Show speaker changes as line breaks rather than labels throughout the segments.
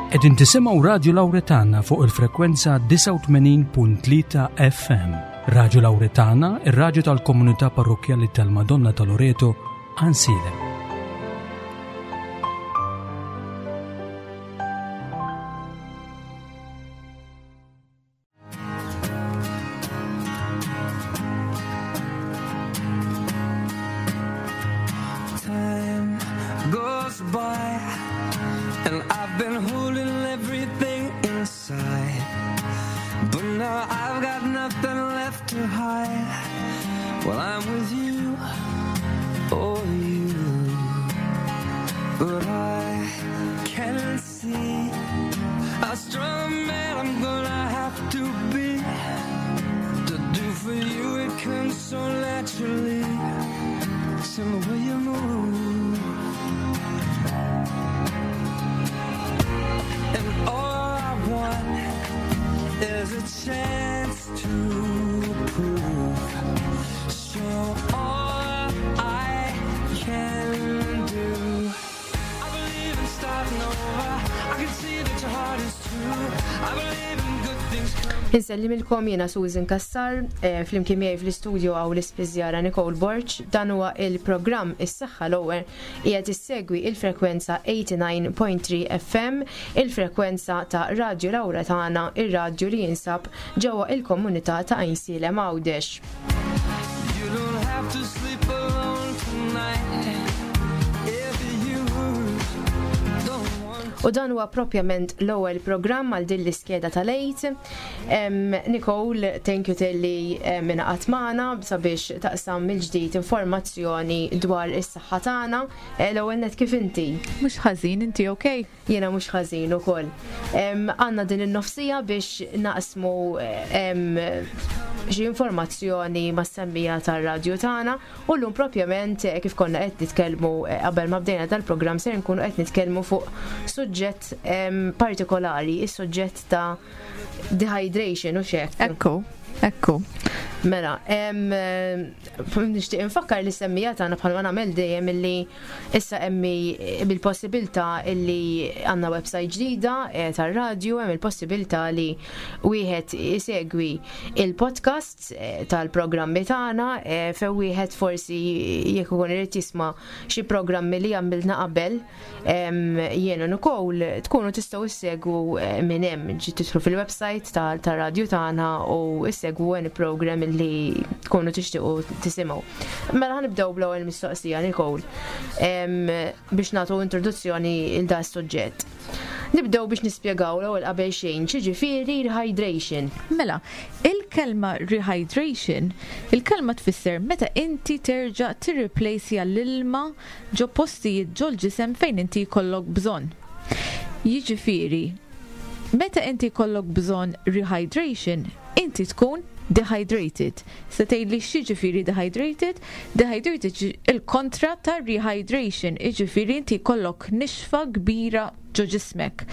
Qegħdin tisimgħu Radju Lawretana fuq il-frekwenza 89.3 FM. Radju Lawretana, ir-radju tal-komunità parrokkjali tal-Madonna ta' Loreto, Għansielem.
Time goes by and I've been holding everything inside. But now I've got nothing left to hide. Well, I'm with you, oh you. But I can see how strong a man I'm gonna have to be. To do for you it comes so naturally. It's in the way you move. And all I want is a chance to prove. Show all I can do. I believe in starting over. I can see that your heart is true. I believe in good things coming.
Insellimilkom jiena Susan Kassar, eh, flimkien miegħi fl-istudio hawn l-ispiżjara Nicole Borg, dan huwa il-programm Is-Saħħa l-Ewwel qiegħed issegwi il-frekwenza 89.3 FM, il-frekwenza ta' Radju Lawretana, ir-radju li jinsab ġewwa il-komunità ta' Għajnsielem Għawdex.
You don't have to sleep alone tonight. If you don't want
U dan huwa propjament l-ewwel programm għal din l-iskeda tal-Għid. Nicole, thank you talli ingħaqadt magħna sabiex taqsam mill-ġdid informazzjoni dwar is-saħħa tagħna. Eh, L-ewwel net kif inti?
Mhux ħażin, inti okay?
Jiena mhux ħażin ukoll. Għandna din in-nofsija biex naqsmu xi informazzjoni mas-semmiegħa tar-radju tagħna u llum propjament eh, kif konna qed nitkellmu eh, qabel ma bdejna dal-programm ser nkunu qed nitkellmu fuq suġġett partikolari, is-suġġett ta' dehydration u xek.
Ekku, ekku.
Mela, nixtieq infakkar li semmija tagħna bħalma nagħmel dejjem illi issa hemm bil-possibilità illi għandna website ġdida eh, tar-radju, hemm il-possibilità li wieħed isegwi il-podcasts eh, tal-programmi tagħna eh, fejn wieħed forsi jekk ikun irid jisma' xi programmi li għamilna qabel jien u Nicole tkunu tistgħu issegwu eh, minn hemm ġi tidħlu fil-website tar-radju tagħna u issegwu any program li tkunu tixtiequ tisimgħu. Mela ħanibdew bl-ewwel mistoqsija Nicole biex nagħtu introduzzjoni il da suġġett. Nibdew biex nispjegaw l-ewwel qabel xejn x'jiġifieri rehydration.
Mela, il-kelma rehydration, il-kelma tfisser meta inti terġa' tirreplacja l-ilma ġo postijiet ġol-ġisem fejn inti jkollok bżonn. Jiġifieri, meta inti jkollok bżonn rehydration, inti tkun dehydrated. Se tgħidli x'jiġifieri dehydrated? Dehydrated il-kontra ta' rehydration, jiġifieri inti jkollok nixfa kbira ġo ġismek.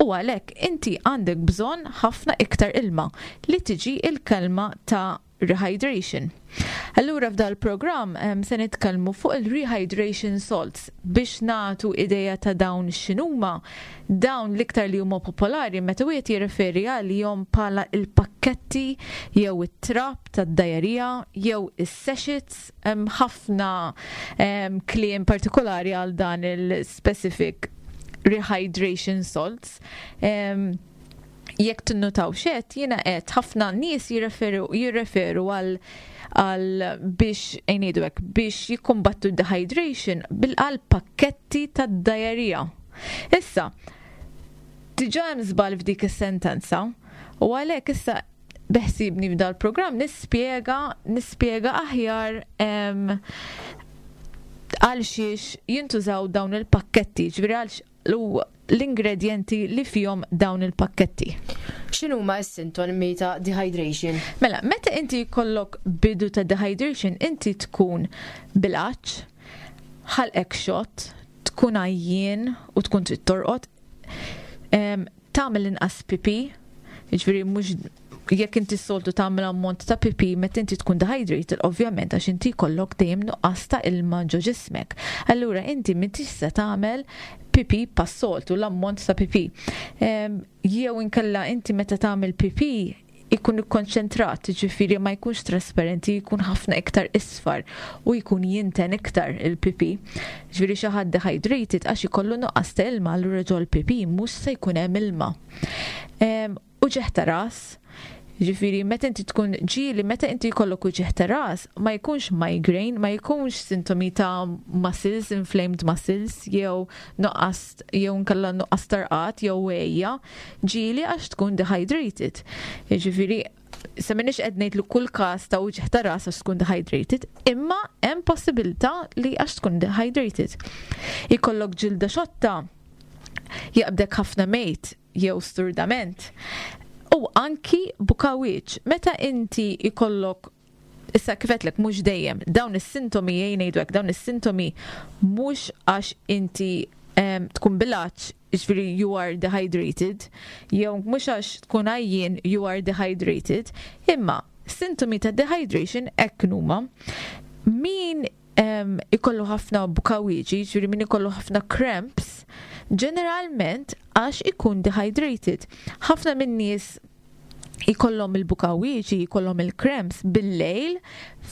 U għalhekk inti għandek bżonn ħafna iktar ilma li tiġi il-kelma ta' rehydration. Allura f'dal programm se nitkellmu fuq il-rehydration salts biex nagħtu ideja ta' dawn x'inhuma dawn l-iktar li huma popolari meta wieħed jirreferi għalihom bħala il-pakketti jew it-trab tad-dajerija jew is-sachets hemm ħafna kliem partikolari għal dan il-specific rehydration salts. Jekk tinnutaw xet, jiena qed ħafna nies jirreferu jirreferu għal għal biex ngħidu hekk biex jikkumbattu dehydration bil-għal pakketti tad-dajerija. Issa, diġà hemm żball f'dik is-sentenza u għalhekk issa beħsibni f'dal programm nispjega nispjega aħjar għal xiex jintużaw dawn il-pakketti, ġifieri għal l-ingredjenti li fihom dawn il-pakketti.
X'inhuma s-sintomi ta' dehydration?
Mela, meta inti jkollok bidu ta' dehydration, inti tkun bil-għatx, ħalqek xott, tkun għajjien u tkun trid torqod, tagħmel inqas pipi, jiġifieri mhux Jekk inti s-soltu tagħmel ammont ta' pipi meta inti tkun dehydrated, ovvjament għax inti jkollok dejjem nuqqas ta' ilma ġo ġismek. Allura inti m'intix se tagħmel pipi pas-soltu, l-ammont ta' pipi. Jew inkella inti meta tagħmel pipi ikun ikkonċentrat, ġifieri ma jkunx trasparenti, jkun ħafna iktar isfar u jkun jinten iktar il-pipi. Ġifieri xi ħadd dehydrated għax ikollu nuqqas ta' ilma, allura ġol pipi mhux se jkun hemm ilma. Uġigħ ta' ras, ġifieri meta inti tkun ġieli meta inti jkollok uġigħ ta' ras ma jkunx migraine, ma jkunx sintomi ta' muscles, inflamed muscles, jew nuqqas jew nkella nuqqas tarqat jew għejja, ġieli għax tkun dehydrated. Ġifieri se m'iniex qed ngħid li kull każ ta' uġigħ ta' ras għax tkun dehydrated, imma hemm possibilità li għax tkun dehydrated. Ikollok ġilda xotta, jaqbdek ħafna mejt jew sturdament. U anki bukawiċ, meta inti ikollok, issa kif għedtlek mhux dejjem, dawn is-sintomi jgħin ngħidu hekk, dawn is-sintomi mhux għax inti tkun bil-għatx, ġifieri you are dehydrated, jew mhux għax tkun għajjien you are dehydrated, imma sintomi ta' dehydration hekk huma. Min ikollu ħafna bukawiġi, ġifieri min ikollu ħafna cramps, ġeneralment għax ikun dehydrated. Ħafna minn nies ikollhom il-bukawiġi, ikollhom il-cramps bil-lejl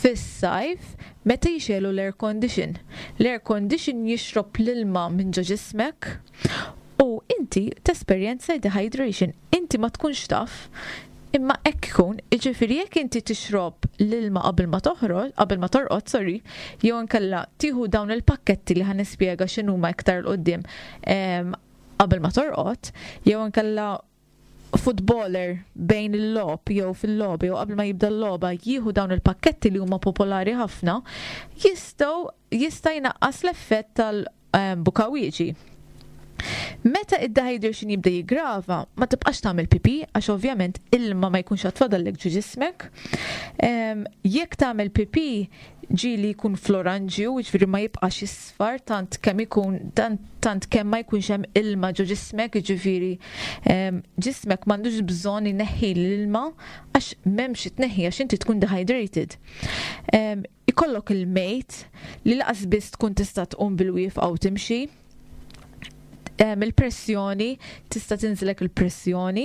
fis-sajf meta jixegħlu l-air condition. L-air condition jixrob l-ilma minn ġo ġismek u inti tesperjenza dehydration. Inti ma tkunx taf, imma hekk ikun, jiġifieri jekk inti tixrob l-ilma qabel ma toħroġ, qabel ma torqod, sorry, jew inkella tieħu dawn il-pakketti li ħa nispjega x'inhuma iktar 'l quddiem qabel ma torqod, jew inkella footballer bejn il-logħob jew fil-logħob jew qabel ma jibda l-logħba jieħu dawn il-pakketti li huma popolari ħafna, jista' jnaqqas l-effett tal-bukawiġi. Meta id-dehydration jibda jiggrava, ma tibqax tagħmel pipi għax ovvjament ilma ma jkunx għad fadallek ġo ġismek. Jekk tagħmel pipi ġieli jkun fl-oranġju, jiġifieri ma jibqax isfar tant kemm ikun tant kemm ma jkunx hemm ilma ġo ġismek, jiġifieri ġismek m'għandux bżonn ineħħi l-ilma għax m'hemmx tneħħi għax inti tkun dehydrated. Ikollok il-mejt li laqas biss tkun tista' tqum bil-wieqfa u timxi. Il-pressjoni, tista' tinżilek il-pressjoni,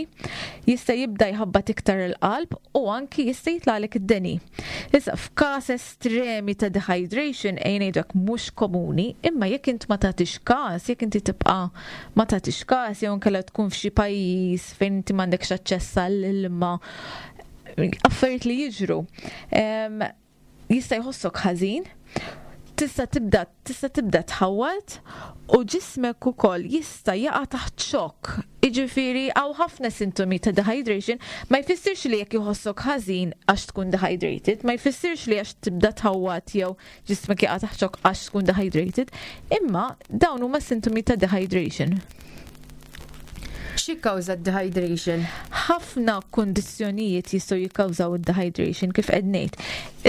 jista' jibda jħabbat iktar il-qalb u anki jista' jitlagħlek id-deni. Issa f'każ estremi ta' dehydration ejja ngħidu hekk mhux komuni, imma jekk int ma tagħtix każ, jekk inti tibqa' ma tagħtix każ jew inkella tkun f'xi pajjiż fejn inti m'għandekx aċċess għall-ilma, affarijiet li jiġru. Jista' jħossok ħażin, tista' tibda tħawwad u ġismek ukoll jista' jaqa' taħt xokk. Jiġifieri hawn ħafna sintomi ta' dehydration, ma jfissirx li jekk jħossok ħażin għax tkun dehydrated, ma jfissirx li għax tibda tħawwad jew ġismek jaqa' taħt xokk għax tkun dehydrated, imma dawn huma sintomi ta' dehydration.
X'jikkawża d-dehydration?
Ħafna kundizzjonijiet jistgħu jikkawżaw id-dehydration kif qed ngħid.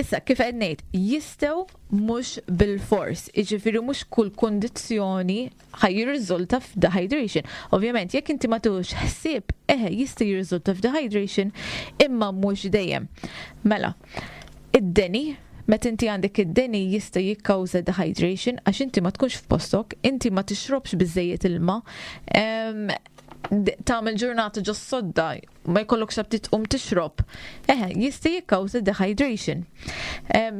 Issa kif qed ngħid, jistgħu mhux bil-fors, jiġifieri mhux kull kundizzjoni ħa jirriżulta f'dehydration. Ovvjament, jekk inti ma tieħux ħsieb, eħe jista' jirriżulta f'dehydration, imma mhux dejjem. Mela, id-deni, meta inti għandek id-deni jista' jikkawża dehydration għax inti ma tkunx f'postok, inti ma tixrobx biżejjed ilma, tagħmel ġurnata ġo sodda, ma jkollokx aptit tqum tixrob. Eħe, jista' jikkawża dehydration.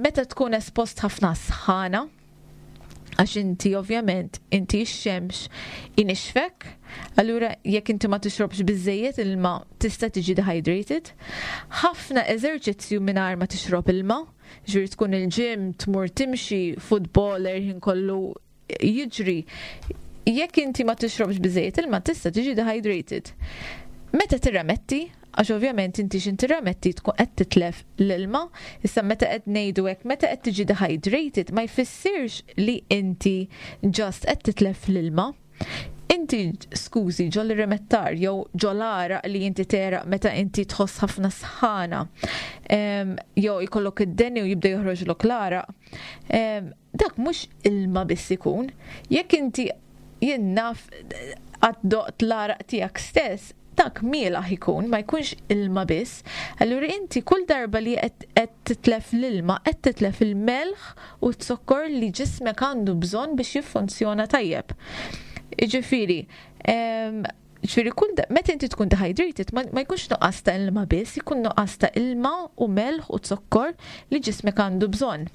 Meta tkun espost ħafna sħana, għax inti ovvjament inti x-xemx inixfek, allura jekk inti ma tixrobx biżejjed ilma tista' tiġi dehydrated. Ħafna eżerċizzju mingħajr ma tixrob ilma, ġifieri tkun il-gym, tmur timxi, footballer ħin kollu jiġri. Jekk inti ma tixrobx biżejjed ilma tista' tiġi dehydrated. Meta tirremetti, għax ovvjament inti x'in tirremetti tkun qed titlef l-ilma, issa meta qed ngħidu hekk, meta qed tiġi dehydrated ma jfissirx li inti just qed titlef l-ilma. Inti, skużi, ġol rimettar jew ġol għaraq li inti teraq meta inti tħoss ħafna sħana, jew ikollok id-deni u jibda joħroġlok l-għaraq, dak mhux ilma biss ikun. Jekk inti jien naf għad doqt l-għaraq tiegħek stess, Dak mielaħ ikun, ma jkunx ilma biss. Allura inti kull darba li qed titlef l-ilma, qed titlef il-melħ u z-zokkor li ġismek għandu bżonn biex jiffunzjona tajjeb. Jiġifieri, ġifieri kull meta inti tkun dehydrated ma jkunx nuqqas ta' ilma biss, ikun nuqqas ta' ilma u melħ u zokkor li ġismek għandu bżonn.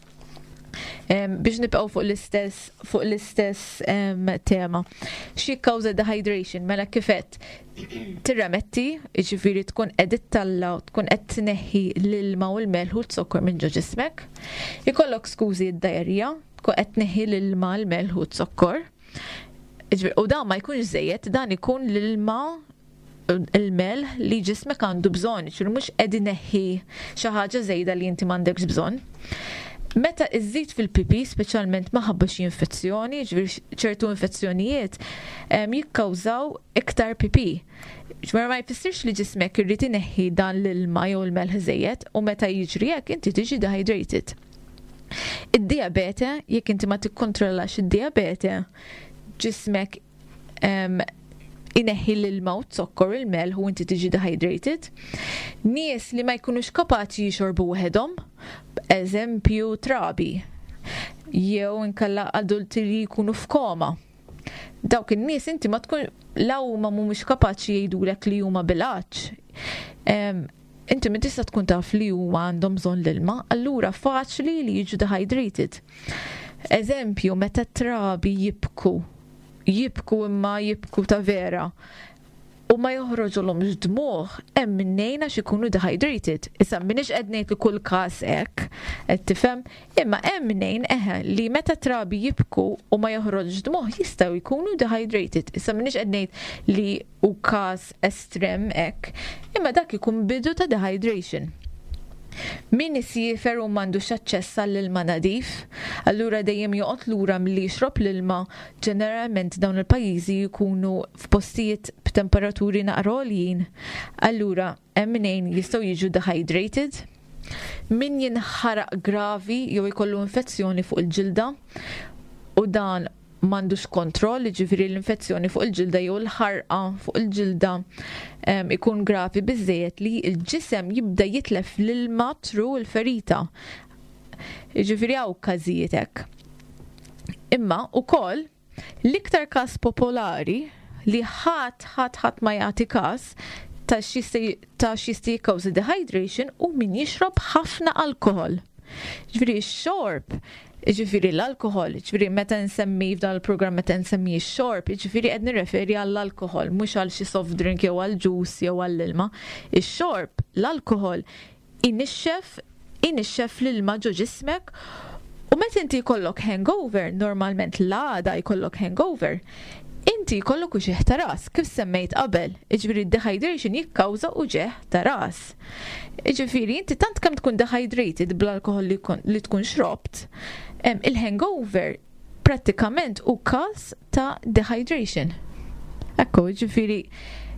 Biex nibqgħu fuq l-istess tema. Xi kkawża dehydration? Mela kifet tirremetti, jiġifieri tkun qed ittalla tkun qed tneħħi l-ilma u l-melħ u z-zokkor minn ġo ġismek. Ikollok, skużi, id-diarrhea, tkun qed tneħħi l-ilma, l-melħ u z-zokkor. U dan ma jkunx żejjed, dan ikun l-ilma, il-melħ li ġismek għandu bżonn, ġifieri mhux qed ineħħi xi ħaġa żejda li inti m'għandekx bżonn. Meta iżżid fil-pipi, speċjalment minħabba xi infezzjoni, ġifieri ċertu infezzjonijiet jikkawżaw iktar pipi. Ġifieri ma jfissirx li ġismek irrid ineħħi dan l-ilma jew il-melħ żejjed u meta jiġri hekk inti tiġi dehydrated. Id-diabete, jekk inti ma tikkontrollax id-diabete, ġismek ineħħi l-ilma u zokkor, il-melħ, u inti tiġi dehydrated. Nies li ma jkunux kapaċi jixorbu waħedhom, eżempju trabi, jew inkella adulti li jkunu f'koma. Dawk in-nies inti ma tkun la huma mhumiex kapaċi jgħidulek li huma bil-għatx. Inti min tista' tkun taf li huma għandhom bżonn l-ilma, allura faċli li jiġu dehydrated. Eżempju, meta trabi jibku, jibku imma jibku ta' vera, u ma joħroġulhomx dmuħ, hemm minnejn għax ikunu dehydrated. Issa m'iniex qed ngħid li kull każ hekk, qed tifhem, imma hemm minnejn eħe li meta trabi jibku u ma joħroġ dmuħ jistgħu jkunu dehydrated. Issa m'iniex qed ngħid li hu każ estrem hekk, imma dak ikun bidu ta' dehydration. Min isiefer u m'għandux aċċess għall-ilma nadif, allura dejjem joqgħod lura milli jixrob l-ilma, ġeneralment dawn il-pajjiżi jkunu f'postijiet b'temperaturi naqra għoljin, allura hemm mnejn jistgħu jiġu dehydrated. Min jinħaraq gravi jew jkollu infezzjoni fuq il-ġilda u dan m'għandux kontroll, ġifieri l-infezzjoni fuq il-ġilda jew l-ħarqa fuq il-ġilda ikun gravi biżejjed li l-ġisem jibda jitlef l-ilma through il-ferita. Ġifieri hawn każijiet hekk. Imma ukoll l-iktar każ popolari li ħadd ħadd ħadd ma jagħti każ ta' x'jista' jikkawża dehydration u min jixrob ħafna alkohol. Ġifieri x-xorb, ġifieri l-alkohol, ġifieri meta nsemmi f'dan il-programm, meta nsemmi x-xorb, ġifieri qed nirreferi għall-alkohol, mhux għal xi soft drink jew għal juice jew għall-ilma. Ix-xorb, l-alkohol inixxef l-ilma ġo ġismek u meta inti jkollok hangover, normalment l-għada jkollok hangover, inti jkollok uġigħ ta' ras, kif semmejt qabel, ġifieri dehydration jikkawża uġigħ ta' ras. Ġifieri inti tant kemm tkun dehydrated bl-alkohol li tkun xrobt, il-hangover prattikament hu każ ta' dehydration. Ekku, ġifieri,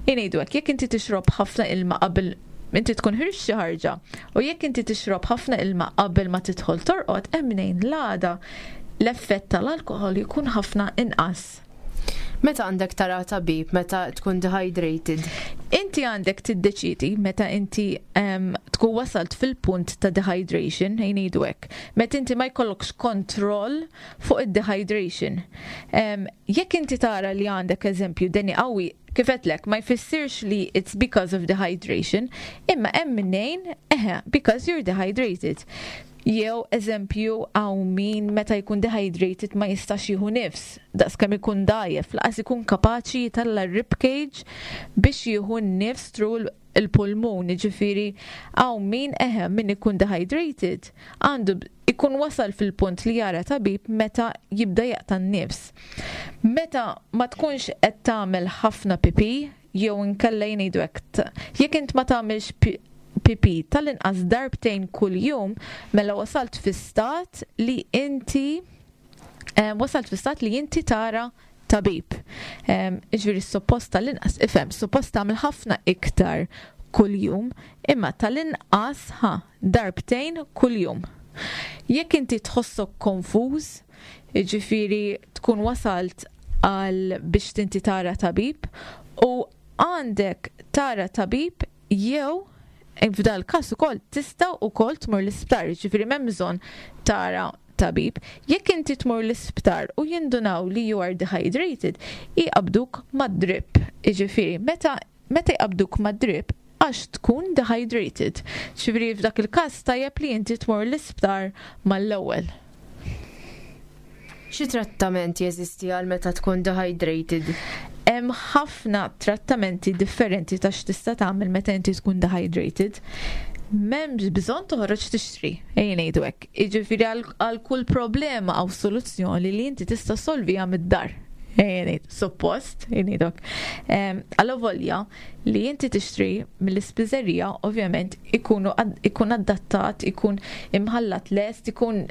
ngħidu hekk, jekk inti tixrob ħafna ilma qabel inti tkun ħriġt xi ħarġa u jekk inti tixrob ħafna ilma qabel ma tidħol torqod, hemm mnejn l-għada l-effett tal-alkohol jkun ħafna inqas.
Meta għandek tara tabib, meta tkun dehydrated?
Inti għandek tiddeċidi meta inti tkun wasalt fil-punt ta' dehydration, ngħidu hekk. Meta inti ma jkollokx kontroll fuq id-dehydration. Jekk inti tara li għandek, eżempju, deni qawwi, kif għedtlek, ma jfissirx li it's because of dehydration, imma hemm minnejn, eħe, because you're dehydrated. Jew eżempju hawn min meta jkun dehydrated ma jistax jieħu nifs, daqs kemm ikun dgħajjef, lanqas ikun kapaċi jitalla ribcage biex jieħu nifs through il-pulmun, ġifieri hawn min, eħe, min ikun dehydrated għandu ikun wasal fil-punt li jara tabib meta jibda jaqta' n-nifs. Meta ma tkunx qed tagħmel ħafna pipi, jew inkella jgħidu hekk, jekk int ma tagħmilx pipi tal-inqas darbtejn kuljum, mela wasalt fi stat li inti tara tabib. Ġifieri suppost tal-inqas, ifhem, suppost tagħmel ħafna iktar kuljum, imma tal-inqas ha darbtejn kuljum. Jekk inti tħossok konfuż, ġifieri tkun wasalt għal biex tinti tara tabib u Għandek tara tabib jew f'dal każ ukoll tista' ukoll tmur l-isptar, jiġifieri m'hemm bżonn tara tabib. Jekk inti tmur l-isptar u jindunaw li you are dehydrated, jqabbduk mad-drip. Jiġifieri meta jqabbduk mad-drip għax tkun dehydrated. Ġifieri f'dak il-każ tajjeb li inti tmur l-isptar mal-ewwel.
Xi trattament jeżisti għal meta tkun dehydrated?
Hemm ħafna trattamenti differenti ta' x'tista' tagħmel meta inti tkun dehydrated. M'hemmx bżonn toħroġ tixtri, ejja ngħidu hekk. Jiġifieri għal kull problema hawn soluzzjoni li inti tista' solviha mid-dar. Ejja ngħid, suppost, ejja ngħidu hekk. Allavolja li inti tixtri mill-ispiżerija ovvjament ikun adattat, ikun imħallat lest, ikun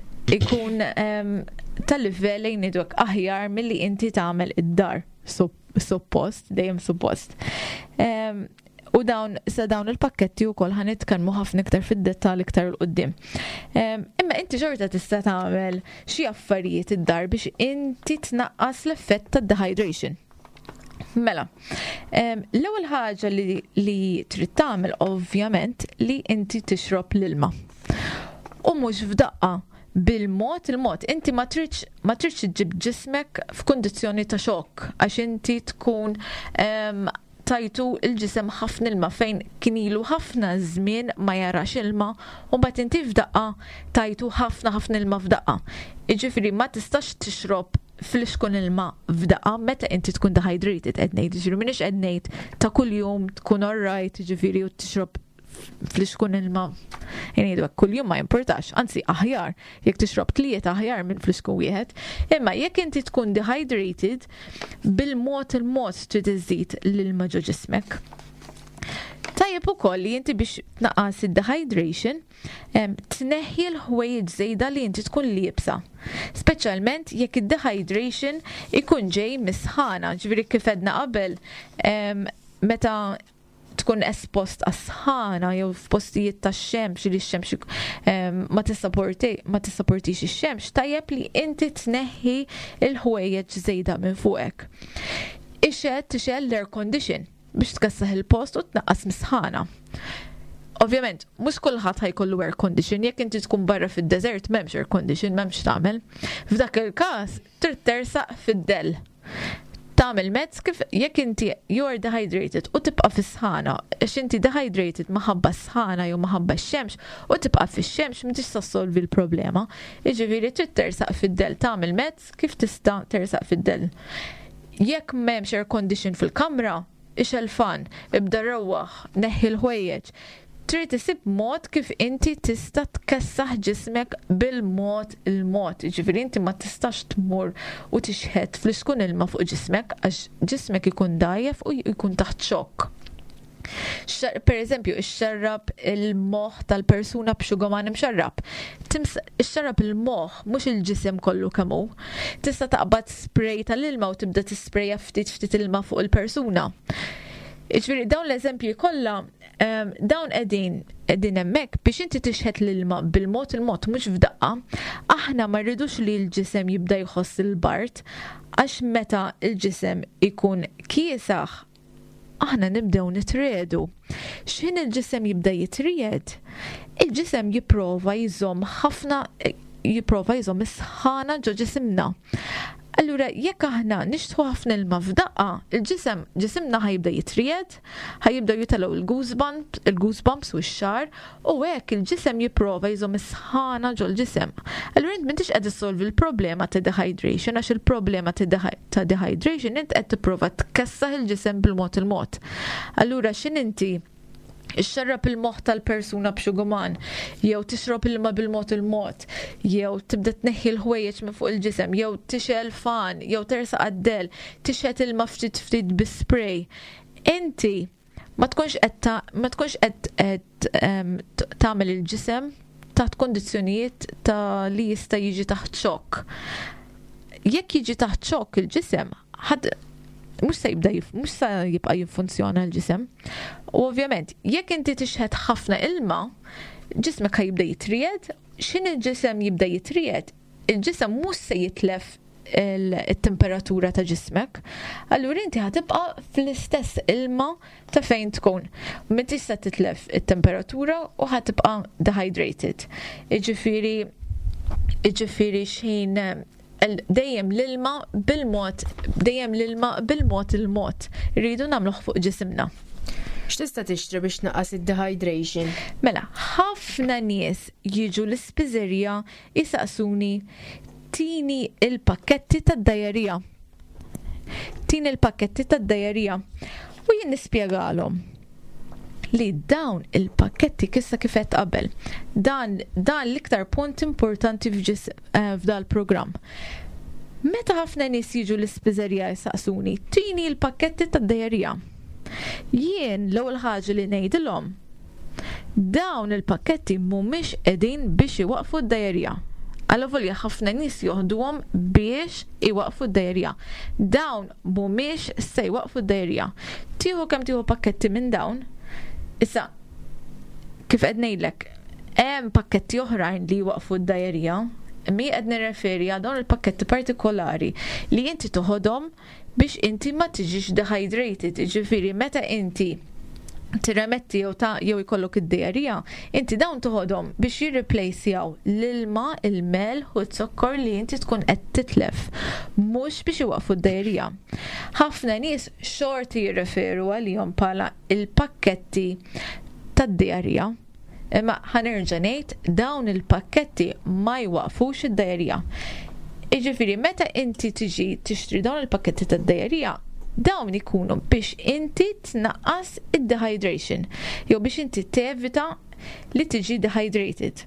tal-livell, ejja ngħidu hekk, aħjar milli inti tagħmel id-dar. Suppost, dejjem suppost. U sa dawn il-pakketti wkoll ħa nitkellmu ħafna iktar fid-dettall iktar 'il quddiem. Imma inti xorta tista' tagħmel xi affarijiet id-dar biex inti tnaqqas l-effett tad-dehydration. Mela, l-ewwel ħaġa li trid tagħmel ovvjament li inti tixrob l-ilma. U mhux f'daqqa, bil-mod il-mod. Inti ma tridx iġġib ġismek f'kundizzjoni ta' xokk għax inti tkun tajtu il-ġisem ħafna ilma fejn kien ilu ħafna żmien ma jarax ilma u mbagħad inti f'daqqa tajtu ħafna ħafna ilma f'daqqa. Jiġifieri ma tistax tixrob flixkun ilma f'daqqa meta inti tkun dehydrated qed ngħid, jiġifieri m'iniex qed ngħid ta' kuljum tkun alright, jiġifieri u tixrob flixkun ilma, ngħidu hekk, kuljum ma jimportax, anzi aħjar jekk tixrob 3 aħjar minn flixkun wieħed. Imma jekk inti tkun dehydrated, bil-mod il-mod trid iżid l-ilma ġo ġismek. Tajjeb ukoll li inti biex tnaqqas id-dehydration, tneħħi l-ħwejjeġ żejda li inti tkun liebsa. Speċjalment jekk id-dehydration ikun ġej mis-sħana, ġifieri kif għedna qabel, meta tkun espost għas-sħana jew f'postijiet tax-xemx li x-xemx ma tissaportix ix-xemx, tajjeb li inti tneħħi l-ħwejjeġ żejda minn fuqek. Ixgħel tixgħel l-air condition biex tkessaħ il-post u tnaqqas mis-sħana. Ovvjament, mhux kulħadd ħa jkollu air condition, jekk inti tkun barra fid-deżert m'hemmx air condition, m'hemmx tagħmel. F'dak il-każ trid tersaq fid-dell. Tagħmel mezz kif jekk inti you are dehydrated u tibqa' fis-sħana, għax inti dehydrated minħabba s-sħana jew minħabba x-xemx u tibqa' fix-xemx m'intix se ssolvi l-problema. Jiġifieri trid tersaq fid-dell, tagħmel mezz kif tista' tersaq fid-dell. Jekk m'hemmx air condition fil-kamra, ixgħel fan, ibda rewwaħ, neħħi l-ħwejjeġ. Trid isib mod kif inti tista' tkessaħ ġismek bil-mod il-mod. Jiġifieri inti ma tistax tmur u tixħet flixkun ilma fuq ġismek għax ġismek ikun dgħajjef u jkun taħt xokk. Per eżempju, ixxarrab il-moħħ tal-persuna b'xugaman imxarrab. Ixxarrab il-moħħ, mhux il-ġisem kollu kemm hu. Tista' taqbad spray tal-ilma u tibda tisprejja ftit ftit ilma fuq il-persuna. Jiġifieri dawn l-eżempji kollha, dawn qegħdin hemmhekk biex inti tixħet l-ilma bil-mod il-mod, mhux f'daqqa. Aħna ma rridux li l-ġisem jibda jħoss il-bard, għax meta l-ġisem ikun kiesaħ, aħna nibdew nitriedu. X'ħin il-ġisem jibda jitried, il-ġisem jipprova jżomm ħafna, jipprova jżomm is-sħana ġo ġisimna. Allura, jekk aħna nixtħu ħafna ilma f'daqqa, il-ġisem, ġisimna ħa jibda jitried, ħa jibdew jitilgħu il-goosebumps u x-xagħar, u hekk il-ġisem jipprova jżomm is-sħana ġol-ġisem. Allura int m'intix qed issolvi l-problema ta' dehydration, għax il-problema ta' dehydration int qed tipprova tkessaħ il-ġisem bil-mod il-mod. Allura x'in inti ixxarrab il-moħħ tal-persuna b'xuguman, jew tixrob ilma bil-mod il-mod, jew tibda tneħħi l-ħwejjeġ minn fuq il-ġisem, jew tixgħel fan, jew tersaq għad-dell, tixħet ilma ftit ftit bi spray. Inti ma tkunx qed ma tkunx qed tagħmel il-ġisem taħt kondizzjonijiet ta' li jista' jiġi taħt xokk. Jekk jiġi taħt xokk il-ġisem, ħadd mhux se jibda mhux se jibqa' jiffunzjona l-ġisem. U ovvjament, jekk inti tixħet ħafna ilma, ġismek ħa jibda jitried, x'ħin il-ġisem jibda jitried, il-ġisem mhux se jitlef il-temperatura ta' ġismek. Allura inti ħa tibqa' fl-istess ilma ta' fejn tkun. Ma tista' titlef it-temperatura u ħa tibqa' dehydrated. Jiġifieri xħin dejjem l-ilma bil-mod, dejjem l-ilma bil-mod il-mod. Rridu nagħmluh fuq ġisimna.
X'tista' tixtri biex tnaqqas id-dehydration?
Mela, ħafna nies jiġu l-ispiżerija jisaqsuni tini il-pakketti tad-diarrhea. Tini il-pakketti tad-diarrhea. U jien nispjegalhom li dawn il-pakketti kissa kif għedt qabel. Dan l-iktar punt importanti f'dal program. Meta ħafna nies jiġu l-ispiżerija jisaqsuni, tini il-pakketti tad-diarrhea. Jien l-ewwel ħaġa li ngħidilhom, dawn il-pakketti mhumiex qegħdin biex iwaqfu d-diarrhea. Allavolja ħafna nies joħduhom biex iwaqfu d-diarrhea. Dawn mhumiex se jwaqfu d-diarrhea. Tieħu kemm tieħu pakketti minn dawn, issa kif qed ngħidlek, hemm pakketti oħrajn li jwaqfu d-diarrhea, mi qed nirreferi għal dawn il-pakketti partikolari li inti toħodhom biex inti ma tiġix dehydrated, ġifieri meta inti tirremetti jew ta' jew ikollok id-diarrhea, inti dawn toħodhom biex jirreplacejaw l-ilma, il-melħ u z-zokkor li inti tkun qed titlef, mhux biex iwaqfu d-diarrhea. Ħafna nies xorti jirreferu għalihom bħala il-pakketti tad-diarrhea. Imma ħa nerġa' ngħid, dawn il-pakketti ma jwaqfux id-diarrhea. Jiġifieri meta inti tiġi tixtri dawn il-pakketti tad-diarrhea, dawn ikunu biex inti tnaqqas id-dehydration jew biex inti tevita li tiġi dehydrated.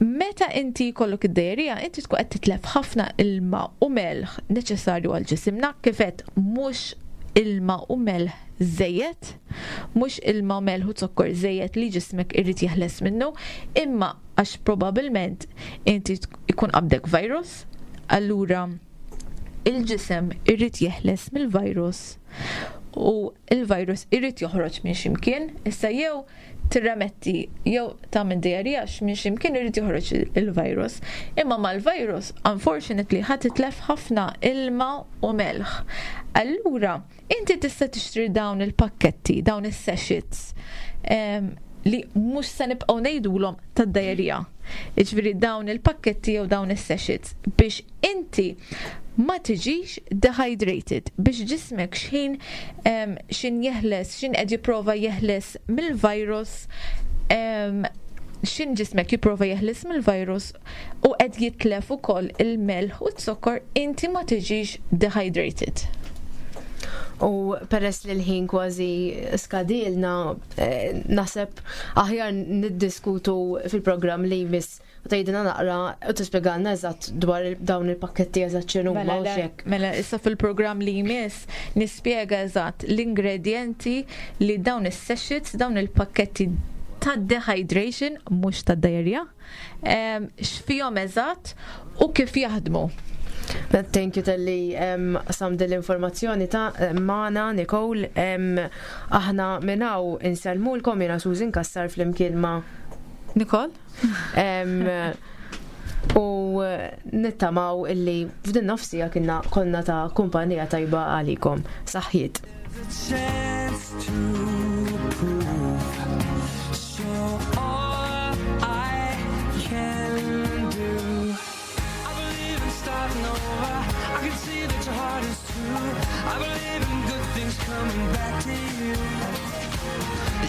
Meta inti jkollok id-diarrhea, inti tkun qed titlef ħafna ilma u melħ neċessarju għal ġisimna, kif għedt, mhux ilma u melħ żejjed, mhux ilma u melħ u zokkor żejjed li ġismek irid jeħles minnu, imma għax probabbilment inti ikun qabdek virus, allura il-ġisem irid jeħles mill-virus u il-virus irid joħroġ minn ximkien, issa jew tirremetti jew tagħmel diarrhea, minn ximkien irid joħroġ il-virus. Imma mal-virus, unfortunately, ħa titlef ħafna ilma u melħ. Allura, inti tista' tixtri dawn il-pakketti, dawn is-sachets li mhux se nibqgħu ngħidulhom tad-diarrhea. Jiġifieri dawn il-pakketti jew dawn is-sachets biex inti ma tiġix dehydrated, biex ġismek xħin jeħles, xħin qed jipprova jeħles mill-virus, xħin ġismek jipprova jeħles mill-virus u qed jitlef ukoll il-melħ u z-zokkor, inti ma tiġix dehydrated.
U peress li l-ħin kważi skadilna, naħseb aħjar niddiskutu fil-programm li jmiss u tgħidilna naqra u tispjegalna eżatt dwar dawn il-pakketti, eżatt x'inhuma
Mela,
u
le,
xek.
Mela, issa fil-programm li jmiss nispjega eżatt l-ingredienti li dawn is-sachets, dawn il-pakketti ta' dehydration, mhux ta' diarrhea, x'fihom eżatt u kif jaħdmu.
Thank you talli qsamt l-informazzjoni ta' magħna, Nicole. Aħna minn hawn insellmulkom, jiena Susan Kassar flimkien ma'
Nicole?
U nittamaw illi f'din nofs siegħa kienna konna ta' kumpanija tajba għalikom. Saħħiet.
The chance to prove. So all I can do. I believe in starting over. I can see that your heart is true. I believe in good things coming back to you.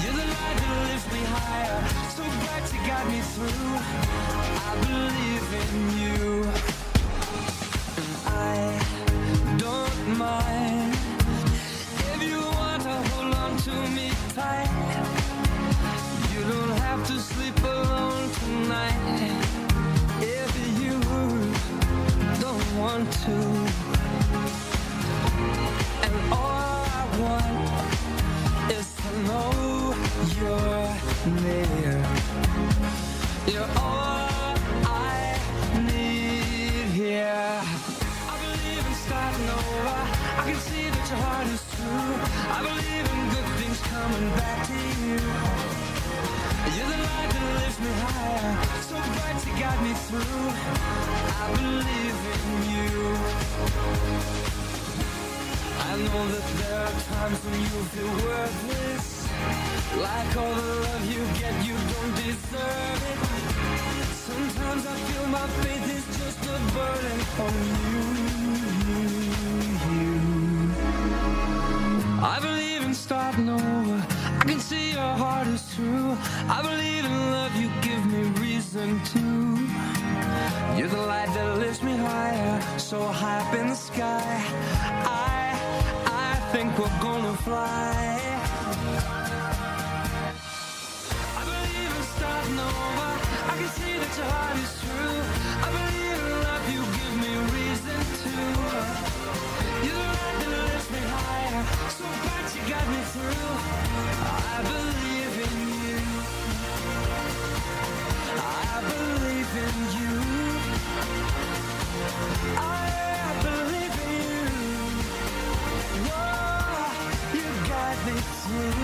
You're the light that lifts me higher, so bright to guide me through. I believe in you. And I don't mind if you want to hold on to me tight. You don't have to sleep alone tonight if you don't want to. And all I want is to know you're near. You're all I need here. I believe in starting over. I can see that your heart is true. I believe in good things coming back to you. You're the light that lifts me higher, so bright you guide me through. I believe in you. I know that there are times when you feel worthless, like all the love you get, you don't deserve it. Sometimes I feel my faith is just a burden on you, you, you. I believe in starting over. I can see your heart is true. I believe in love, you give me reason to. You're the light that lifts me higher, so high up in the sky. I think we're gonna fly. I believe in starting over. I can see that your heart is true. I believe in love, you give me reason to. You're the light that lifts me higher, so bright you got me through. I believe in you. I believe in you. I believe in you. Whoa, you got me through.